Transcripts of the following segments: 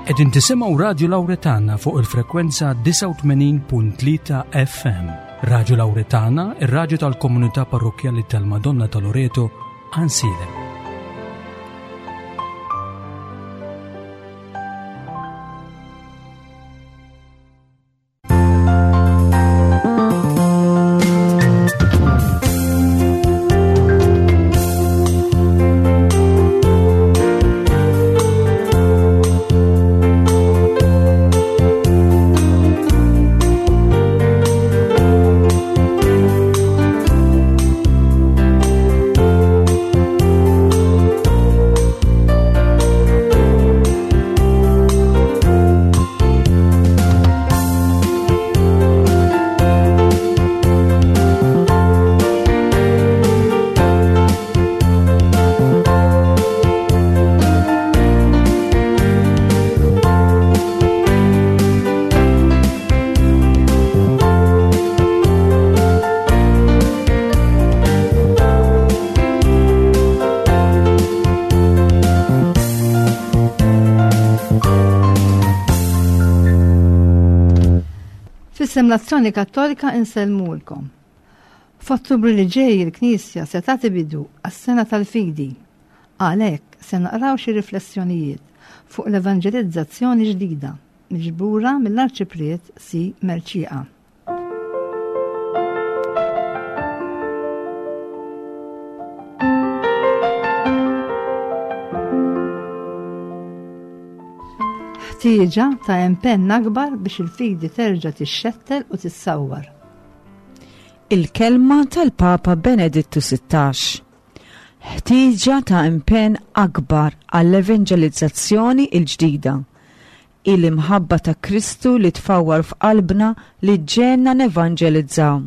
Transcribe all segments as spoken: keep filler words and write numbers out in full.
Qegħdin tisimgħu Radju Lawretana fuq il-frekwenza disgħa u tmenin punt tlieta F M. Radju Lawretana, ir-radju tal-Komunità Parrokkjali tal-Madonna ta' Loreto, Għajnsielem. F'isem l-Azzjoni Kattolika insellmulkom. F'Ottubru li ġej il-Knisja se tagħti bidu għas-Sena tal-Fidi. Għalhekk se naqraw xi riflessjonijiet fuq l-evanġelizzazzjoni ġdida miġbura mill-Arċipriet Si Mercieca. Ħtieġa ta' impenn akbar biex il-fidi terġa' tixxettel u tissawwar. Il-kelma tal-Papa Benedittu sittax. Ħtieġa ta' impenn akbar għall-evanġelizzazzjoni l-ġdida. Il-imħabba ta' Kristu li tfawwar f'qalbna li ġenna nevanġelizzaw.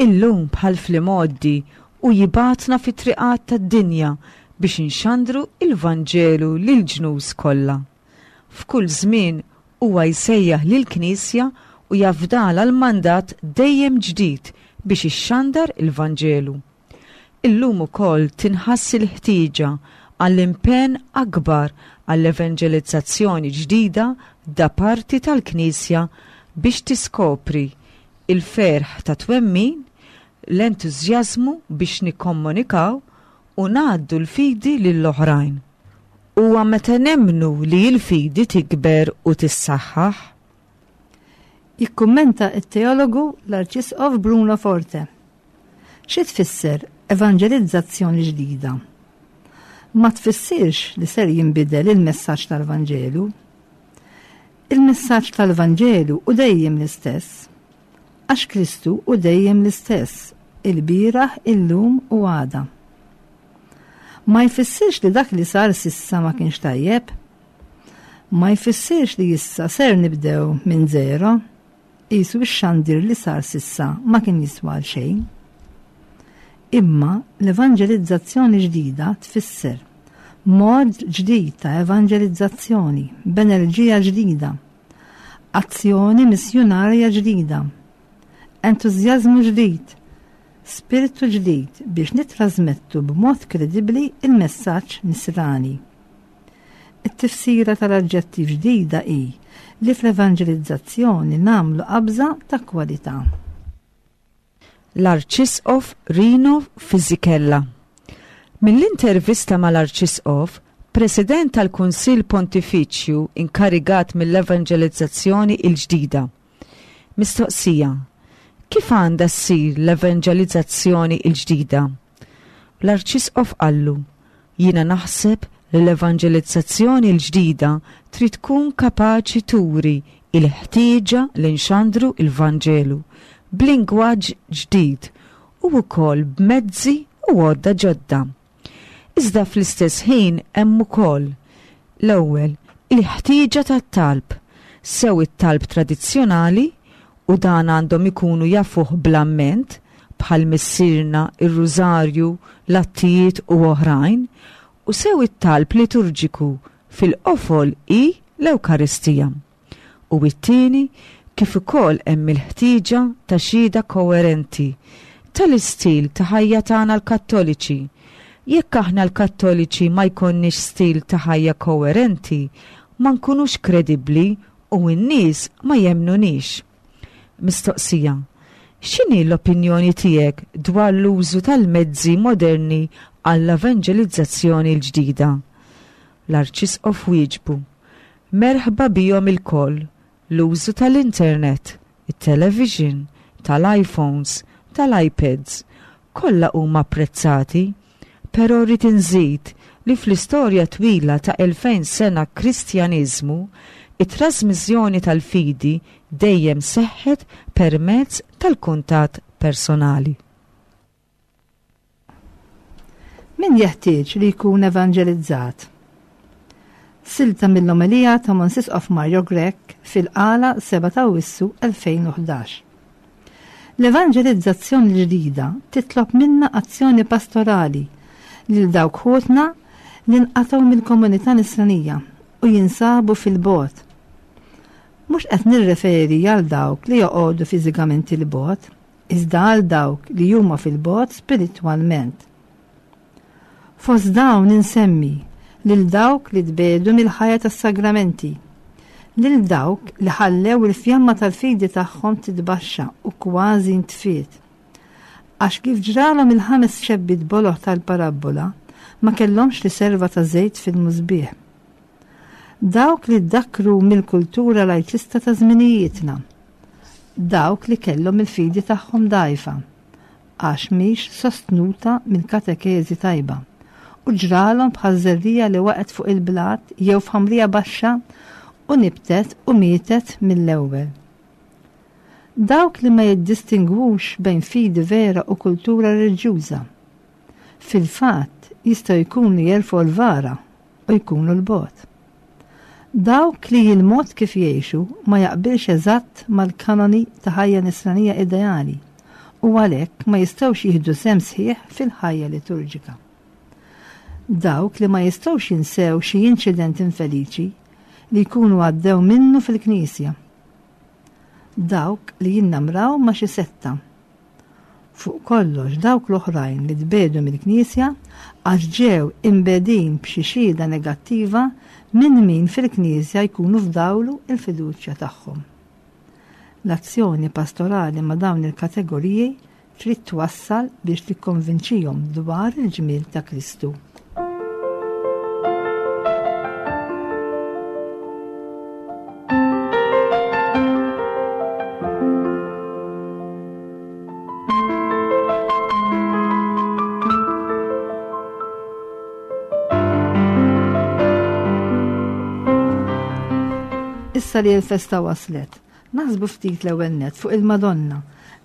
Illum bħal fl-imgħoddi u jibatna fi triqat tad-dinja biex inxandru il-Vanġelu lil ġnus kollha. F'kull żmien huwa jsejjaħ lill-Knisja u jafdalha l-mandat dejjem ġdid biex ixxandar il-Vanġelu. Illum ukoll tinħass il-ħtieġa għall-impenn akbar għall-evanġelizzazzjoni ġdida da parti tal-Knisja biex tiskopri il-ferħ ta' twemmin, l-entużjażmu biex nikkomunikaw u ngħaddu l-fidi lill-oħrajn. Huwa meta nemmnu li l-fidi tikber u tissaħħaħ. Jikkummenta t-teologu l-Arċisqof Bruno Forte. Xi tfisser evanġelizzazzjoni ġdida? Ma tfissirx li ser jinbidel il-messaġġ tal-Vanġelu. Il-messaġġ tal-Vanġelu hu dejjem l-istess, għax Kristu hu dejjem l-istess, il-bieraħ, illum u għada. Ma jfissirx li dak li sar sissa ma kienx tajjeb. Ma jfissirx li issa ser nibdew minn zero, qisu x-xandir li sar sissa ma kien jiswa għal xejn. Imma l-evanġelizzazzjoni ġdida tfisser mod ġdid ta' evanġelizzazzjoni, b'enerġija ġdida, azzjoni missjunarja ġdida, entużjażmu ġdid, spiritu ġdid biex nitrasmettu b'mod kredibbli il-messaġġ nisrani. It-tifsira tal-aġġettiv ġdida hi li fl-evanġelizzazzjoni nagħmlu qabża ta' kwalità. L-Arċisqof Rino Fisichella. Mill-intervista mal-Arċisqof, President tal-Kunsill Pontifiċju inkarigat mill-Evanġelizzazzjoni l-ġdida. Mistoqsija: kif għandha ssir l-evanġelizzazzjoni l-ġdida? L-Arċisqof qallu: jiena naħseb li l-evanġelizzazzjoni l-ġdida trid tkun kapaċi turi il-ħtieġa li nxandru il-Vanġelu b'lingwaġġ ġdid u wkoll b'mezzi u għodda ġodda. Iżda fl-istess ħin hemm ukoll l-ewwel il-ħtieġa tat-talb, sew it-talb tradizzjonali u dan għandhom ikunu jafuh bl-amment bħal Missierna, ir-Rużarju, l-Attijiet u oħrajn, u sew it-talb liturġiku fil-qofol hi l-Ewkaristija. U it-tieni, kif ukoll hemm il-ħtieġa ta' xhieda koerenti tal-istil ta' ħajja tagħna l-Kattoliċi. Jekk aħna l-Kattoliċi ma jkollniex stil ta' ħajja koerenti, ma nkunux kredibbli u n-nies ma jemmnunix. Mistoqsija: X'inhi l-opinjoni tiegħek dwar l-użu tal-mezzi moderni għall-evanġelizzazzjoni l-ġdida? L-Arċisqof wieġbu: Merħba bihom ilkoll, l-użu tal-internet, it-television, tal-iPhones, tal-iPads, kollha huma apprezzati, però rrid inżid li fl-istorja twila ta' elfejn sena Kristjaniżmu, it-trasmissjoni tal-fidi dejjem seħħet permezz tal-kuntatt personali. Min jeħtieġ li jkun evanġelizzat? Silta mill-omelija ta' Mons Isqof Mario Grech fil-Qala sebgħa ta' Awwissu elfejn u ħdax. L-evanġelizzazzjoni l-ġdida titlob minna azzjoni pastorali lil dawk ħutna li nqatgħu mill-komunità nisranija u jinsabu fil-bogħod. Mhux qed nirreferi għal dawk li joqogħdu fiżikament il-bogħod, iżda għal dawk li huma fil-bogħod spiritwalment. Fost dawn insemmi lil dawk li tbegħdu mill-ħajja tas-sagramenti, lil dawk li ħallew il-fjamma tal-fidi tagħhom titbaxxa u kważi ntfiet. Għax kif ġralhom il-ħames xebbiet boloh tal-parabbola, ma kellhomx riserva ta' żejt fil-musbieħ. Dawk li ddakkru mill-kultura lajċista ta' żminijietna, dawk li kellhom il-fidi tagħhom dgħajfa, għax mhix sostnuta mill-katekeżi tajba, u ġralhom bħal żerriegħa li waqgħet fuq il-blat jew f'ħamrija baxxa u nibtet u mietet mill-ewwel. Dawk li ma jiddistingwux bejn fidi vera u kultura reliġjuża. Fil-fatt jistgħu jkunu jerfgħu l-vara u jkunu l-bogħod. Dawk li il-mod kif jgħixu ma jaqbilx eżatt mal-kanoni ta' ħajja nisranija ideali u għalhekk ma jistgħux jieħdu sehem sħiħ fil-ħajja liturġika. Dawk li ma jistgħux jinsew xi inċident infeliċi li jkunu għaddew minnu fil-knisja. Dawk li jinnamraw ma' xi setta. Fuq kollox dawk l-oħrajn li tbegħdu mill-knisja għax ġew imbegħdin b'xi xhieda negattiva minn min fil-knisja jkunu fdawlu il-fiduċja tagħhom. L-azzjoni pastorali ma' dawn il-kategoriji trid twassal biex tikkonvinċihom dwar il-ġmiel ta' Kristu. Issa li l-festa waslet, naħsbu ftit l-ewwel nett fuq il-Madonna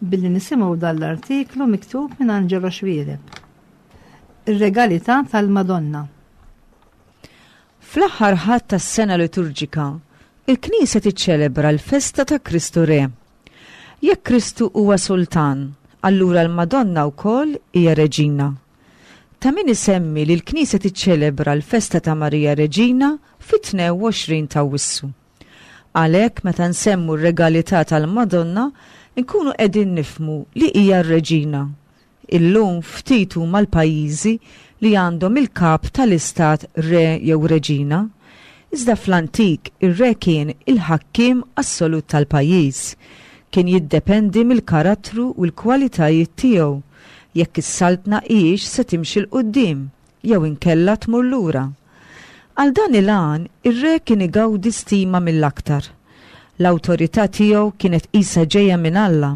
billi nisimgħu dan l-artiklu miktub minn Angelo Xuereb. Ir-regalità tal-Madonna. Fl-aħħar Ħadd tas-sena liturġika, il-Knisja tiċċelebra l-festa ta' Kristu Re. Jekk Kristu huwa sultan, allura l-Madonna wkoll hija reġina. Ta' min isemmi li l-Knisja tiċċelebra l-festa ta' Marija Reġina fit-tnejn u għoxrin ta' Awwissu. Għalhekk meta nsemmu r-regalità tal-Madonna, nkunu qegħdin nifhmu li hija r-reġina. Illum ftit huma l-pajjiżi li għandhom il-kap tal-istat re jew reġina. Iżda fl-antik ir-re kien il-ħakkiem assolut tal-pajjiż. Kien jiddependi mill-karattru u l-kwalitajiet tiegħu jekk is-saltna hijiex se timxi 'l quddiem jew inkella tmur lura. Għal dan il-għan, ir-re kien igawdi stima mill-aktar. L-awtorità tiegħu kienet qisha ġejja minn Alla.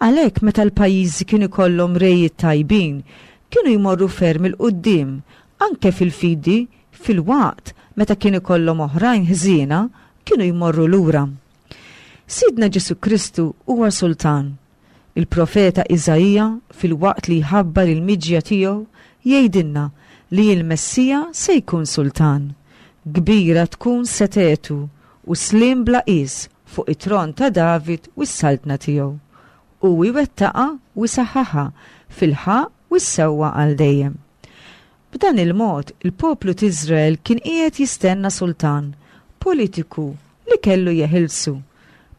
Għalhekk meta l-pajjiżi kienu ikollhom rejiet tajbin, kienu jmorru ferm il quddiem, anke fil-fidi, fil-waqt meta kien ikollhom oħrajn ħżiena, kienu jmorru lura. Sidna Ġesu Kristu huwa sultan. Il-profeta Iżaija, fil-waqt li jħabbar il-miġja tiegħu, jgħidilna li l-Messija se jkun sultan. Kbira tkun setetu u slim bla qis fuq it-tron ta' David u s-saltna tiegħu. U jwettaqa u jsaħħaħa fil-ħaqq u s-sewwa għal dejjem. B'dan il-mod, il-poplu t'Iżrael kien qiegħed jistenna sultan politiku li kellu jeħilsu.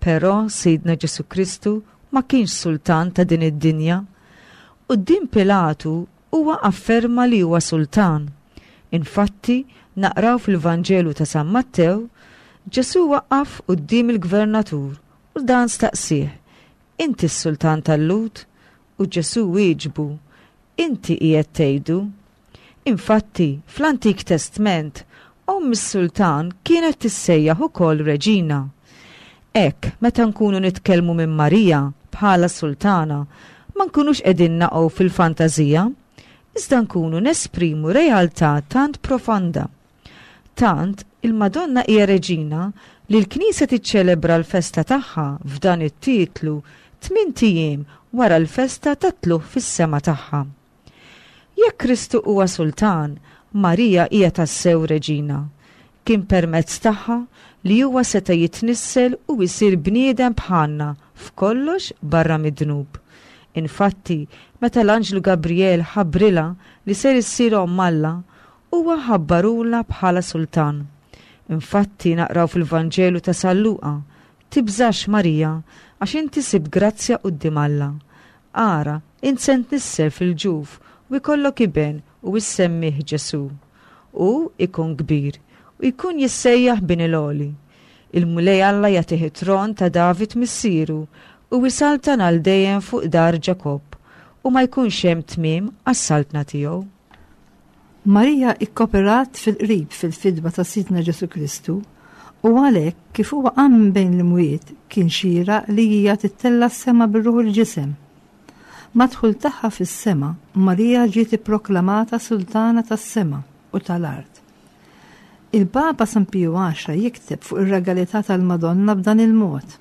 Però Sidna Ġesu Kristu ma kienx sultan ta' din id-dinja. Quddiem Pilatu huwa afferma li huwa sultan. Infatti, Naqraw fil-Vanġelu ta' San Mattew, Ġesù waqaf quddiem il-gvernatur u dan staqsih, "Inti s-sultan tal-Lhud?" U Ġesù wieġbu, "Inti qiegħed tgħidu." Infatti, fl-Antik Testment, omm is-sultan kienet tissejjaħ ukoll reġina. Hekk, meta nkunu nitkellmu minn Marija bħala sultana, ma nkunux qegħdin naqgħu fil-fantażija, iżda nkunu nesprimu realtà tant profonda. Tant il-Madonna hija reġina li l-Knisja tiċċelebra l-festa tagħha f'dan it-titlu tmint ijiem wara l-festa tat-tlugħ fis-sema tagħha. Jekk Kristu huwa sultan, Marija hija tassew reġina. Kien permezz tagħha li huwa seta' jitnissel u jsir bniedem bħalna f'kollox barra mid-dnub. Infatti, meta l-Anġlu Gabriel ħabbrilha li ser issir omm Alla, huwa ħabbarulha bħala sultan. Infatti naqraw fil-Vanġelu ta' San Luqa, "Tibżax Marija, għax inti sibt grazzja quddiem Alla. Ara, int se tnissel fil-ġuf u jkollok iben u issemmih Ġesù. U ikun kbir u jkun jissejjaħ bin il-Għoli. Il-Mulej Alla jagħtih it-tron ta' David missieru u jsaltan għal dejjem fuq dar Ġakobb u ma jkunx hemm tmiem għas-saltna tiegħu." Marija ikkoperat fil-qrib fil-fidwa ta' Sidna Ġesù Kristu u għalhekk kif huwa qam minn bejn l-imwiet kien xieraq li hija tittella' s-sema bir-ruħ u l-ġisem. Mad-dħul tagħha fis-sema, Marija ġiet ipproklamata sultana tas-sema u tal-art. Il-Papa San Piju Għaxra jikteb fuq ir-regalità tal-Madonna b'dan il-mod.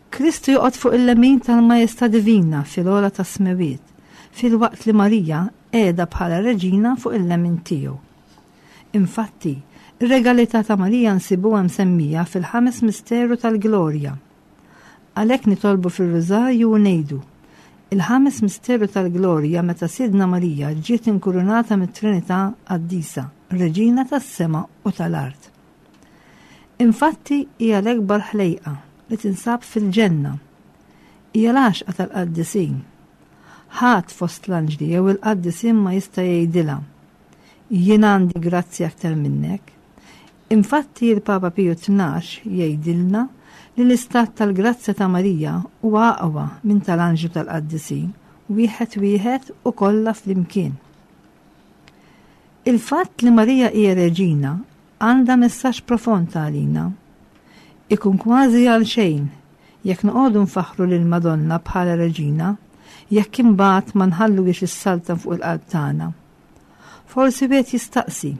Kristu joqgħod fuq il-lemin tal-Majestà Divina fil-ogħla tas-smewiet, filwaqt li Marija qiegħda bħala reġina fuq il-lemin tiegħu. Infatti, ir-regalità ta' Marija nsibuha msemmija fil-ħames misteru tal-Glorja. Għalhekk nitolbu fir-Rużarju u ngħidu, il-ħames misteru tal-Glorja meta Sidna Marija ġiet inkurunata mit-Trinità Qaddisa, Reġina tas-sema u tal-art. Infatti hija l-ekbar ħlejqa li tinsab fil-ġenna. Hija l-għaxqa tal-qaddisin. Ħadd fost l-anġli jew il-qaddisin ma jista' jgħidilha, "Jien għandi grazzja aktar minnek." Infatti il-Papa Piju Tnax jgħidilna li l-istat tal-grazzja ta' Marija huwa aqwa minn tal-anġlu tal-qaddisin, wieħed wieħed u kollha flimkien. Il-fatt li Marija hija reġina għandha messaġġ profond għalina. Ikun kważi għal xejn jekk noqogħdu nfaħħru lil Madonna bħala reġina, jekk imbagħad ma nħalluhiex issaltan fuq il-qalb tagħna. Forsi wieħed jistaqsi,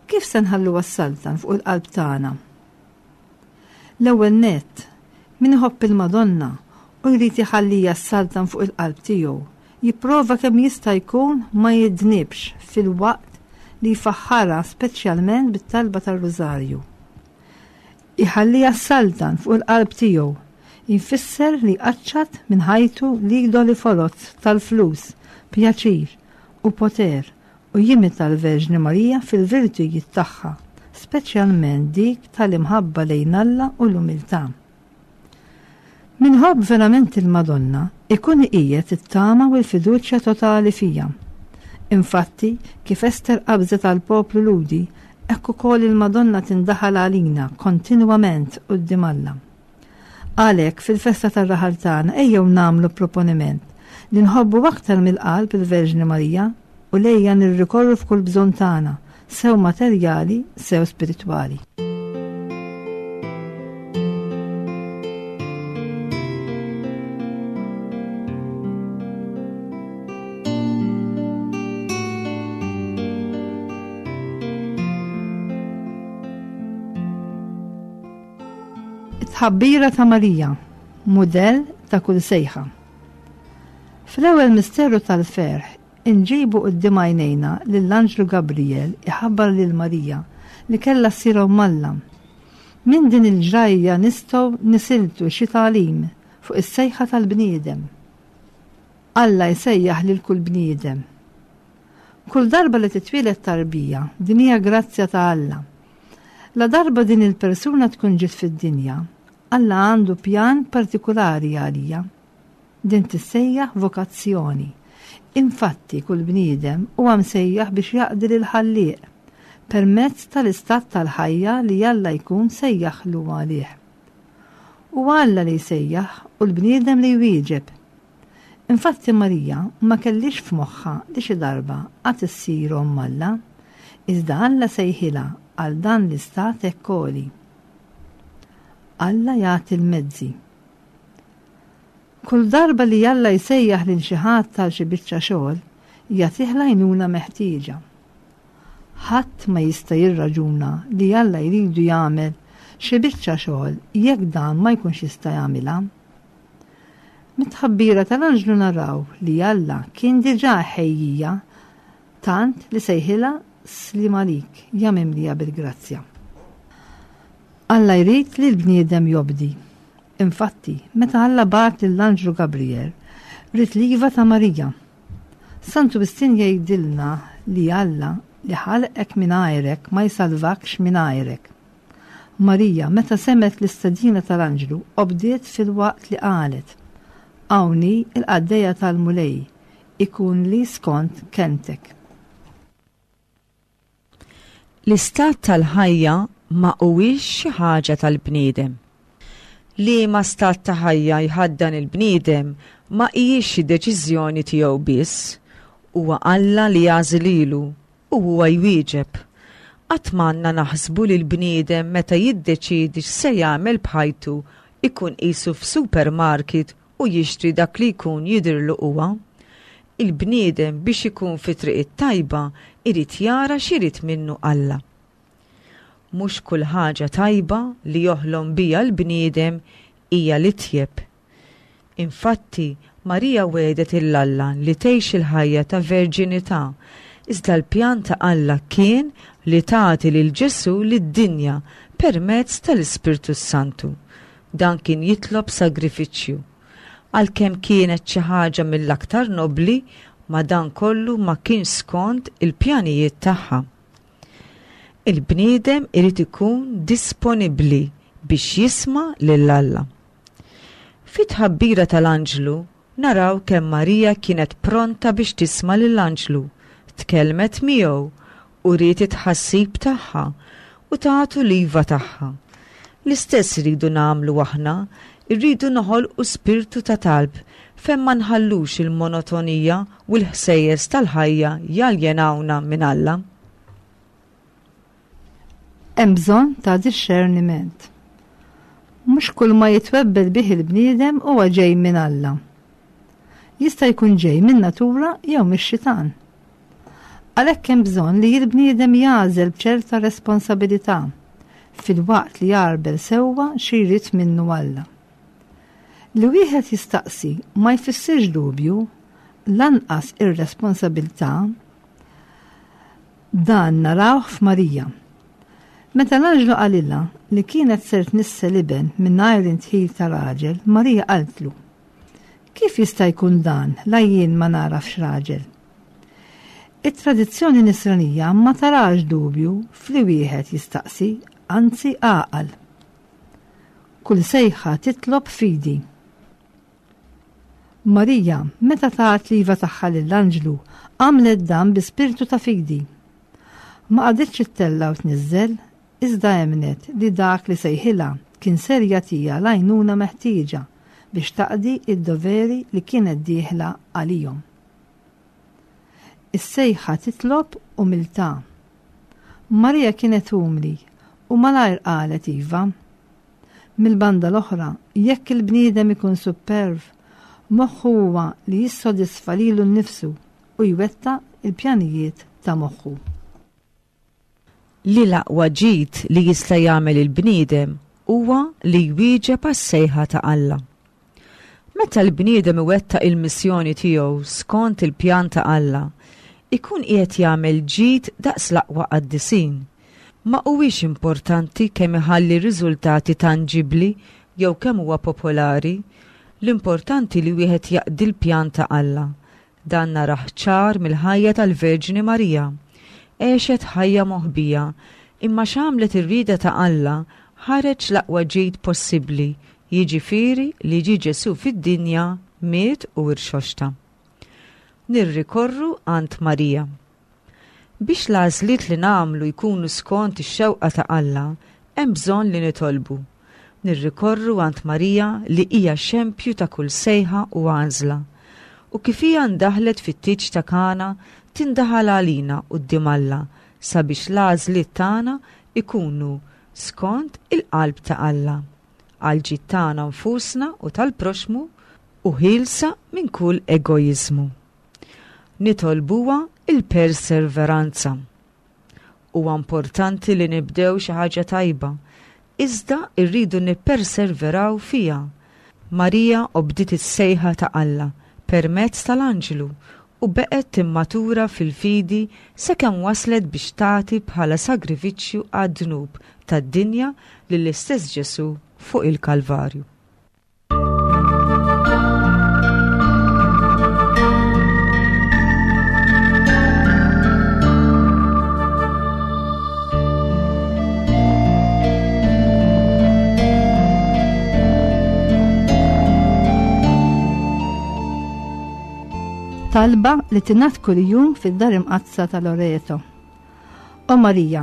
kif se nħalluha ssaltan fuq il-qalb tagħna? L-ewwel nett, min iħobb il-Madonna u jrid iħallija ssaltan fuq il-qalb tiegħu, jipprova kemm jista' jkun ma jidnibx filwaqt li jfaħħarha speċjalment bit-talba tar-Rużarju. Iħallija ssaltan fuq il-qalb tiegħu jfisser li jqaċċat minn ħajtu l-idoli foloz tal-flus, pjaċir u poter u jimita l-Verġni Marija fil-virtujiet tagħha, speċjalment dik tal-imħabba lejn Alla u l-umiltà. Min iħobb verament il-Madonna ikun iqiegħed it-tama u l-fiduċja totali fija. Infatti, kif Ester qabżet għall-poplu Lhudi, hekk ukoll il-Madonna tindaħal għalina kontinwament quddiem Alla. Għalhekk fil-festa tar-raħal tagħna ejjew nagħmlu proponiment li nħobbu aktar mill-qalb il-Verġni Marija u lejha nirrikorru f'kull bżonn tagħna, sew materjali, sew spiritwali. It-tħabbira ta' Marija, mudell ta' kull sejħa. Fl-ewwel misteru tal-ferħ, inġibu quddiem għajnejna lill-Anġlu Gabriel iħabbar lil Marija li kellha ssir omm Alla. Minn din il-ġrajja nistgħu nisiltu xi tagħlim fuq is-sejħa tal-bniedem. Alla jsejjaħ lil kull bniedem. Kull darba li titwieled tarbija, din hija grazzja ta' Alla. La darba din il-persuna tkun ġiet fid-dinja, Alla għandu pjan partikulari għalija. Din tissejjaħ vokazzjoni. Infatti, kull bniedem huwa msejjaħ biex jaqdi lil ħallieq. permezz tal-istat tal-ħajja li Alla jkun sejjaħlu għalih. U Alla li jsejjaħ u l-bniedem li jwieġeb. Infatti Marija ma kellix f'moħħha li xi darba għad issir omm Alla, iżda Alla sejħilha għal dan l-istat hekk għoli. Alla jagħti l-mezzi. Kull darba li Alla jsejjaħ lil xi ħadd għal xi biċċa xogħol, jagħtih l-għajnuna meħtieġa. Ħadd ma jista' jirraġuna li Alla jridu jagħmel xi biċċa xogħol jekk dan ma jkunx jista' jagħmilha. Mit-tħabbira tal-anġlu naraw li Alla kien diġà ħejjija tant li sejħilha sliem għalik ja mimlija bil-grazzja. Alla jrid li l-bniedem jobdi. Infatti, meta Alla bagħat lill-anġlu Gabriel, ried l-iva ta' Marija. Santu Wistin jgħidilna li Alla li ħalqek mingħajrek ma jsalvakx mingħajrek. Marija, meta semgħet l-istedina tal-anġlu, obdiet filwaqt li qalet: Hawn hi il-qaddejja tal-Mulej, ikun li skont kelmtek. L-istat tal-ħajja ma huwiex xi ħaġa tal-bniedem. Liema stat ta' ħajja jħaddan il-bniedem ma hijiex xi deċiżjoni tiegħu biss, huwa Alla li jagħżel lilu u huwa jwieġeb. Qatt m'għandna naħsbu li l-bniedem meta jiddeċiedi x'se jagħmel b'ħajtu ikun qisu f'supermarket u jixtri dak li jkun jidhirlu huwa. Il-bniedem biex ikun fi triq it-tajba irid jara x'irid minnu Alla. Mhux kull ħaġa tajba li joħlom biha l-bniedem hija l-itjeb. Infatti, Marija wegħdet lil Alla li tgħix il-ħajja ta' verġinità, iżda l-pjan ta' Alla kien li tagħti lil Ġesù lid-dinja permezz tal-Ispirtu Santu. Dan kien jitlob sagrifiċċju. Għalkemm kienet xi ħaġa mill-aktar nobli, ma dan kollu ma kienx skont il-pjanijiet tagħha. Il-bniedem irid ikun disponibbli biex jisma' lil Alla. Fit-tħabbira tal-anġlu naraw kemm Marija kienet pronta biex tisma' lill-anġlu, tkellmet miegħu u wriet it-tħassib tagħha u tagħtu l-iva tagħha. L-istess iridu nagħmlu aħna, irridu noħolqu spirtu ta' talb fejn ma nħallux il-monotonija u l-ħsejjes tal-ħajja jaljenawna minn Alla. Hemm bżonn ta' dixxerniment. Mhux kull ma jitwebbel bih il-bniedem huwa ġej minn Alla. Jista' jkun ġej minn natura jew mix-xitan. Għalhekk hemm bżonn li l-bniedem jagħżel b'ċerta responsabilità filwaqt li jagħrbel sewwa xi jrid minnu Alla. Li wieħed jistaqsi ma jfissirx dubju, lanqas ir-responsabilità. Dan narawh f'Marija. Meta l-anġlu qalilha li kienet ser tnissel iben mingħajr indħil ta' raġel, Marija qaltlu: Kif jista' jkun dan la jien ma nagħrafx raġel? It-tradizzjoni nisranija ma tarax dubju fli wieħed jistaqsi, anzi għaqal. Kull sejħa titlob fidi. Marija, meta tat l-iva tagħha lill-anġlu, għamlet dan bi spirtu ta' fidi. Ma qagħditx ittella' u tniżżel, iżda emnet li dak li sejħilha kien ser jagħtiha l-għajnuna meħtieġa biex taqdi id-doveri li kienet dieħla għalihom. Is-sejħa titlob umiltà. Marija kienet umli u malajr qalet iva. Mill-banda l-oħra, jekk il-bniedem ikun superv, moħħu huwa li jissodisfa lilu nnifsu u jwettaq il-pjanijiet ta' moħħu. Li l-aqwa ġid li jista' jagħmel il-bniedem huwa li jwieġeb għas-sejħa ta' Alla. Meta l-bniedem iwettaq il-missjoni tiegħu skont il-pjan ta' Alla, ikun qiegħed jagħmel ġid daqs l-aqwa qaddisin. Ma huwiex importanti kemm iħalli riżultati tanġibbli jew kemm huwa popolari, l-importanti li wieħed jaqdi l-pjan ta' Alla. Dan narah ċar mill-ħajja tal-Verġni Marija. Għexet ħajja moħbija, imma x'għamlet ir-rieda ta' Alla ħareġ l-aqwa ġid possibbli, jiġifieri li ġie Ġesù fid-dinja, miet u irxoxta. Nirrikorru għand Marija. Biex l-għażliet li nagħmlu jkunu skont ix-xewqa ta' Alla, hemm bżonn li nitolbu. Nirrikorru għand Marija li hija xempju ta' kull sejħa u għażla. U kif hija ndaħlet fit-tieġ ta' Kana, tindaħal għalina quddiem Alla sabiex l-għażliet tagħna ikunu skont il-qalb ta' Alla, għall-ġid tagħna nfusna u tal-proxmu u ħielsa minn kull egoiżmu. Nitolbuha il-perseveranza. Huwa importanti li nibdew xi ħaġa tajba, iżda rridu nipperseveraw fiha. Marija obdiet is-sejħa ta' Alla permezz tal-anġlu u beqgħet timmatura fil-fidi sakemm waslet biex tagħti bħala sagrifiċċju għad-dnub tad-dinja lill-istess Ġesu fuq il-Kalvarju. Talba li tingħad kuljum fid-dar imqaddsa ta' Loreto. O Marija,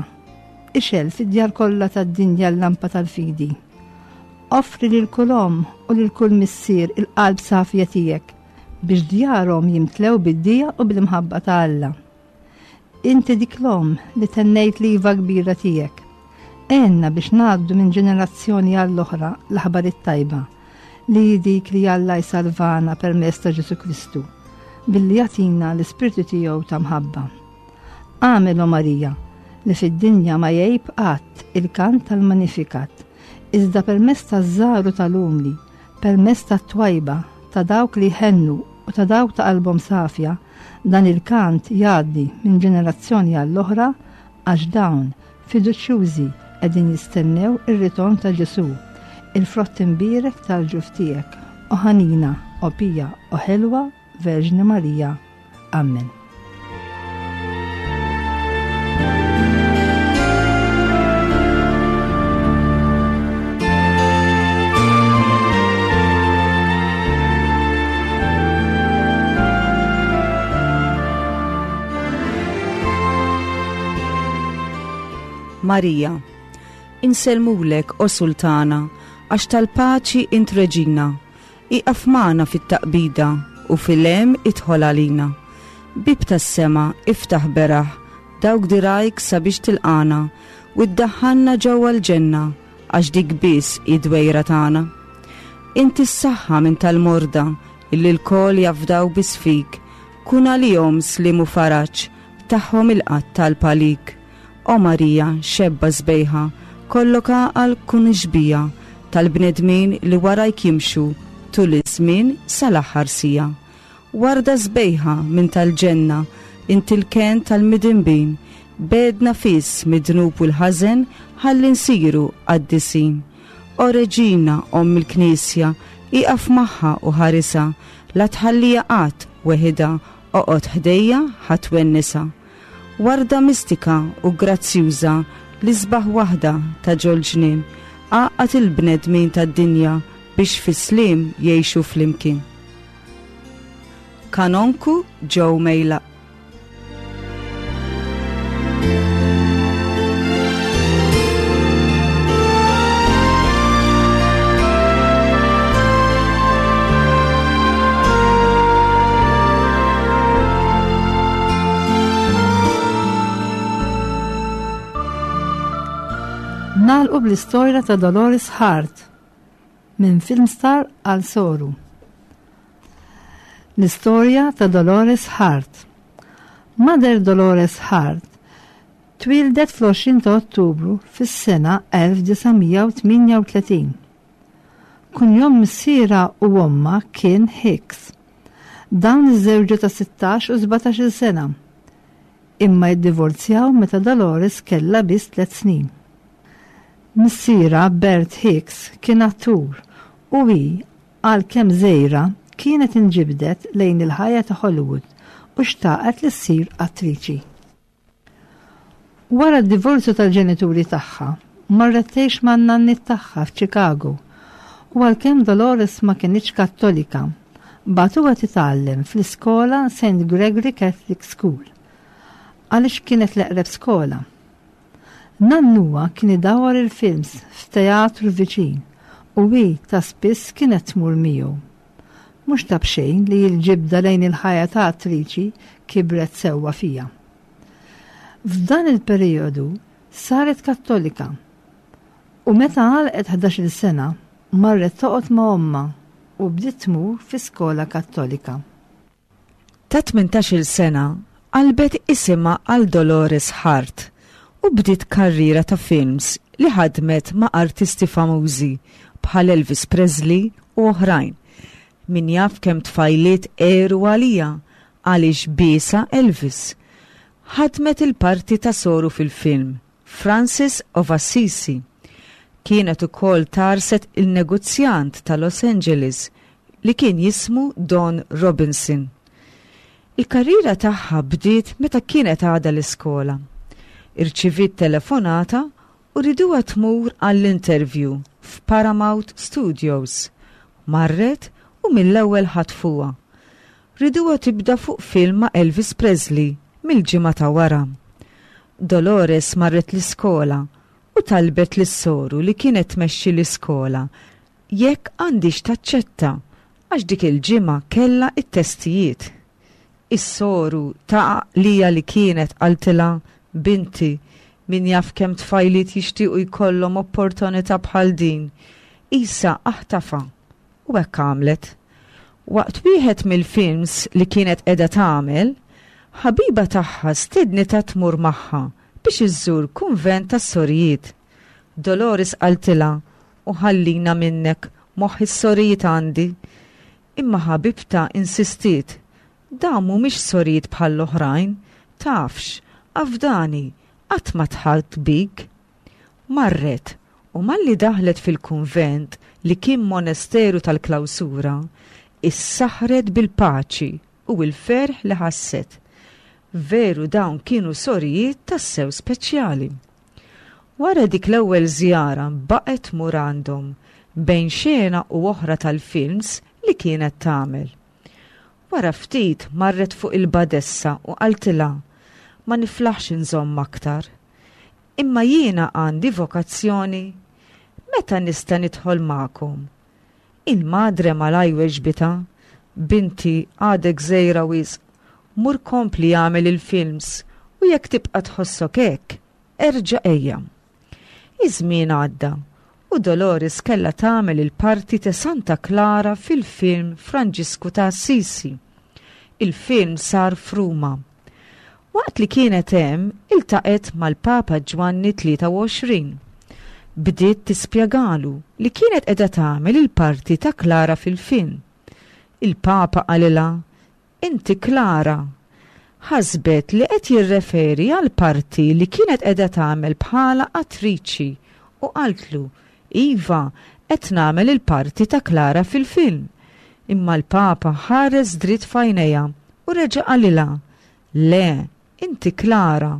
ixgħel fid-djar kollha tad-dinja l-lampa tal-fidi. Offri lil kull omm u lil kull missier il-qalb safja tiegħek biex djarhom jimtlew bid-dija u bil-imħabba ta' Alla. Inti dik l-omm li tennejt l-iva kbira tiegħek. Għenna biex ngħaddu minn ġenerazzjoni għall-oħra l-aħbar it-tajba li dik li Alla jsalvana permezz ta' Ġesu Kristu billi jagħtina l-ispirtu tiegħu ta' mħabba. Agħmel, o Marija, li fid-dinja ma jgħib qatt il-kant tal-Magnificat, iżda permezz taż-żgħar u tal-umli, permezz tat-twajba, ta' dawk li jħennu u ta' dawk ta' qalbhom safja, dan il-kant jgħaddi minn ġenerazzjoni għall-oħra għax dawn fiduċjużi qegħdin jistennew ir-ritorn ta' Ġesu, il-frott imbierek tal-ġuf tiegħek, o ħanina, o pija, o ħelwa, Verġni Marija. Amen. Marija, insellmulek o Sultana, għax tal-paċi int reġina, iqaf magħna fit-taqbida u fil-hemm idħol għalina. Bib tas-sema iftaħ beraħ, dawk dirajk sabiex tilqana u ddaħħalna ġewwa l-ġenna għax dik biss hi dwejra tagħna. Inti s-saħħa minn tal-morda illi lkoll jafdaw biss fik, kun għalihom slim u faraġ, tagħhom il-qatt tal-palik. O Marija, xebba sbejħa, kollok għaqal kun xbija tal-bnedmin li warajk jimxu tul iż-żmien sal-aħħar sija. Warda sbejħa minn tal-ġenna, inti l-ken tal-midinbin, bedna fis mid-dnub u l-ħażen ħalli nsiru qaddisin. O Reġina, omm il-Knisja, iqaf magħha u ħarisa, la tħallija qatt weħida, oqgħod ħdejja ħa twennisa. Warda mistika u grazzjuża, l-isbaħ waħda ta' ġol-ġnien, għaqqad il-bnedmin tad-dinja biex fis-sliem jgħixu flimkien. Kanonku Joe Mejlaq. Nagħlqu bl-istorja ta' Dolores Hart minn filmstar għal soru. L-istorja ta' Dolores Hart. Mother Dolores Hart twildet fl-għoxrin ta' Ottubru fis-sena elf disa' mija u tmienja u tletin. Kunjom missiera u omma kien Hicks. Dawn iż-żewġu ta' sittax u sbatax-il sena. Imma jiddivorzjaw meta Dolores kellha biss tliet snin. Missiera Bert Hicks kien attur u hi għalkemm żgħira kienet inġibdet lejn il-ħajja ta' Hollywood u xtaqet li ssir attriċi. Wara d-divorzju tal-ġenituri tagħha, marret tgħix man-nanniet tagħha f'Chicago u għalkemm Dolores ma kinitx Kattolika, bagħtuha titgħallem fl-iskola Saint Gregory Catholic School. għaliex kienet l-eqreb skola. Nannuha kien idawwar il-films f'teatru viċin u hi ta' spiss kienet tmur miegħu. Mhux ta' b'xejn li l-ġibda lejn il-ħajja ta' attriċi kibret sewwa fija. F'dan il-perjodu saret Kattolika u meta għalqet ħdax-il sena marret toqgħod ma' ommha u bdiet tmur fi skola Kattolika. Ta' tmintax-il sena qalbet isimha għal Dolores Hart u bdiet karriera ta' films li ħadmet ma' artisti famużi bħal Elvis Presley u oħrajn. Min jaf kemm tfajliet għeru għalija għaliex biesha Elvis. Ħadmet il-parti ta' soru fil-film Francis of Assisi. Kienet ukoll tarset il-negozjant ta' Los Angeles li kien jismu Don Robinson. Il-karriera tagħha bdiet meta kienet għadha l-iskola. Irċiviet telefonata u riduha tmur għall-interview f'Paramount Studios. Marret u mill-ewwel ħatfuha. Riduha tibda fuq film ma' Elvis Presley mill-ġimgħa ta' wara. Dolores marret l-iskola u talbet lis-soru li kienet tmexxi l-iskola jekk għandix taċċetta għax dik il-ġimgħa kellha it-testijiet. Is-soru ta' għaqlija li kienet qaltilha, binti, min jaf kemm tfajliet jixtiequ jkollhom opportunità bħal din, isa aħtafa. U hekk għamlet. Waqt wieħed mill-films li kienet qiegħda tagħmel, ħabiba tagħha stednitha tmur magħha biex iżżur kunvent tas-sorijiet. Dolores qaltilha, u ħallina minnek, moħħ is-sorijiet għandi. Imma ħabibta insistiet, dawn mhumiex sorijiet bħall-oħrajn, tafx, afdani, qatt ma tħalt bik. Marret, u malli daħlet fil-kunvent li kien monesteru tal-klawsura, issaħret bil-paċi u l-ferħ li ħasset. Veru dawn kienu sorijiet tassew speċjali. Wara dik l-ewwel żjara baqgħet tmur għandhom bejn xena u oħra tal-films li kienet tagħmel. Wara ftit marret fuq il-badessa u qaltilha, ma niflaħx inżomm aktar. Imma jiena għandi vokazzjoni, meta nista' nidħol magħkom? Il-madre malaj weġbitha, binti għadek żgħira wisq, mur kompli jagħmel il-films u jekk tibqa' tħossok hekk, erġa' ejja. Iż-żmien għadda u Dolores kellha tagħmel il-parti ta' Santa Clara fil-film Franġisku ta' Assisi. Il-film sar f'Ruma. Waqt li kienet hemm iltaqet mal-Papa Ġwanni tlieta u għoxrin. Bdiet tispjegalu li kienet qiegħda tagħmel il-parti ta' Clara fil-film. Il-Papa qalilha, Inti Clara. Ħasbet li qed jirreferi għal parti li kienet qiegħda tagħmel bħala attriċi u qaltlu, Iva, qed nagħmel il-parti ta' Clara fil-film. Imma l-Papa ħares dritt f'għajnejha u reġa' qalilha, Le, inti Clara.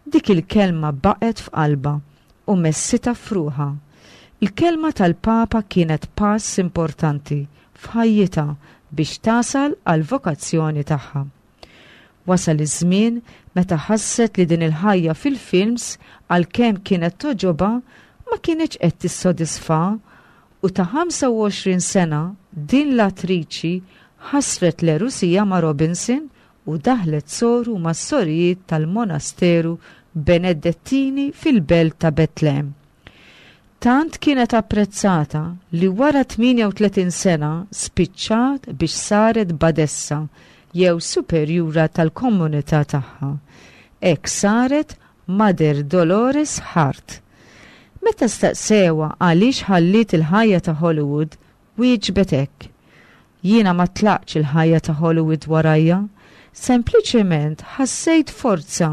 Dik il-kelma baqgħet f'qalbha u messitha f'ruħha. Il-kelma tal-Papa kienet pass importanti f'ħajjitha biex tasal għal vokazzjoni tagħha. Wasal iż-żmien meta ħasset li din il-ħajja fil-films għalkemm kienet toġobha ma kienx qed tissodisfa u ta' ħamsa u għoxrin sena din l-attriċi ħasret l-erusija ma' Robinson u daħlet soru mas sorijiet tal-monasteru Benedettini fil-belt ta' Betlem. Tant kienet apprezzata li wara tmienja u tletin sena spiċċat biex saret badessa jew superjura tal-komunità tagħha. Hekk saret Mother Dolores Hart. Meta staqsewa għaliex ħalliet il-ħajja ta' Hollywood, wieġbet hekk. Jiena ma tlaqtx il-ħajja ta' Hollywood warajja, sempliċement ħassejt forza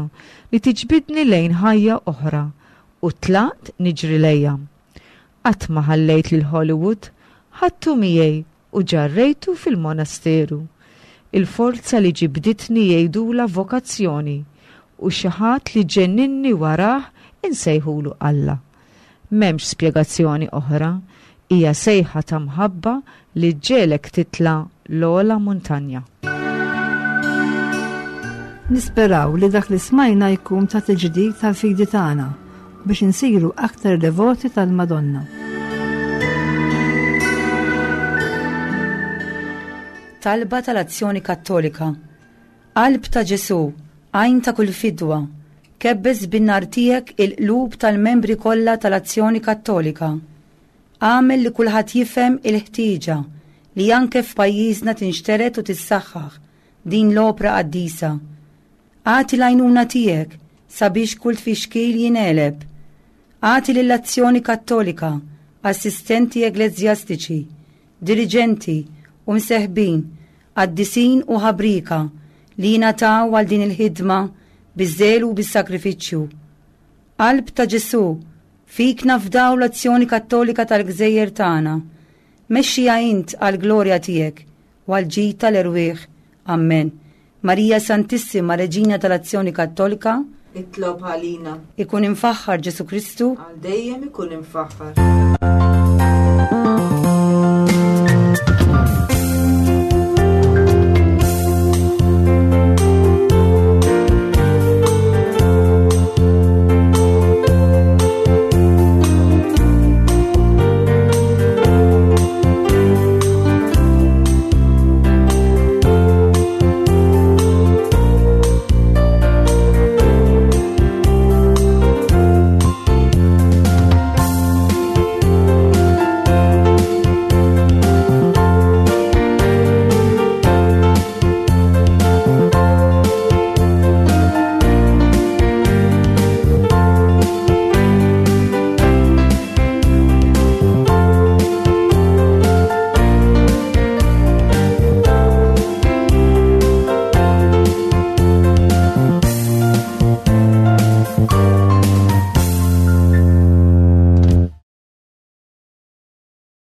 li tiġbidni lejn ħajja oħra u tlaqt niġri lejha. Qatt ma ħallejt lil Hollywood, ħadtu miegħi u ġarrejtu fil-monasteru. Il-forza li ġibditni jgħidula vokazzjoni u xi ħadd li ġenninni warah insejħulu Alla. M'hemmx spjegazzjoni oħra, hija sejħa ta' mħabba li ġġegħlek titla' l-ogħla muntanja. Nisperaw li dak li smajna jkun ta' tiġdid tal-fidi tagħna biex insiru aktar devoti tal-Madonna. Talba tal-Azzjoni Kattolika. Qalb ta' Ġesù, għajn ta' kull fidwa, kebbes bin-nar tiegħek il-qlub tal-membri kollha tal-Azzjoni Kattolika. Agħmel li kulħadd jifhem il-ħtieġa li anke f'pajjiżna tinxtered u tissaħħaħ din l-opra qaddisa. Agħti l-għajnuna tiegħek sabiex kull tfixkil jingħeleb. Agħti lill-Azzjoni Kattolika, assistenti ekleżjastiċi, diriġenti u mseħbin, qaddisin u ħabrieka li jingħataw għal din il-ħidma biż-żelu u bis-sagrifiċċju. Qalb ta' Ġesù, fik nafdaw l-Azzjoni Kattolika tal-Gżejjer tagħna. Mexxiha int għall-glorja tiegħek u għall-ġid tal-erwieħ. Amen. Marija Santissima, Reġina tal-Azzjoni Kattolika, itlob għalina. Ikun imfaħħar Ġesù Kristu, Għal dejjem ikun imfaħħar.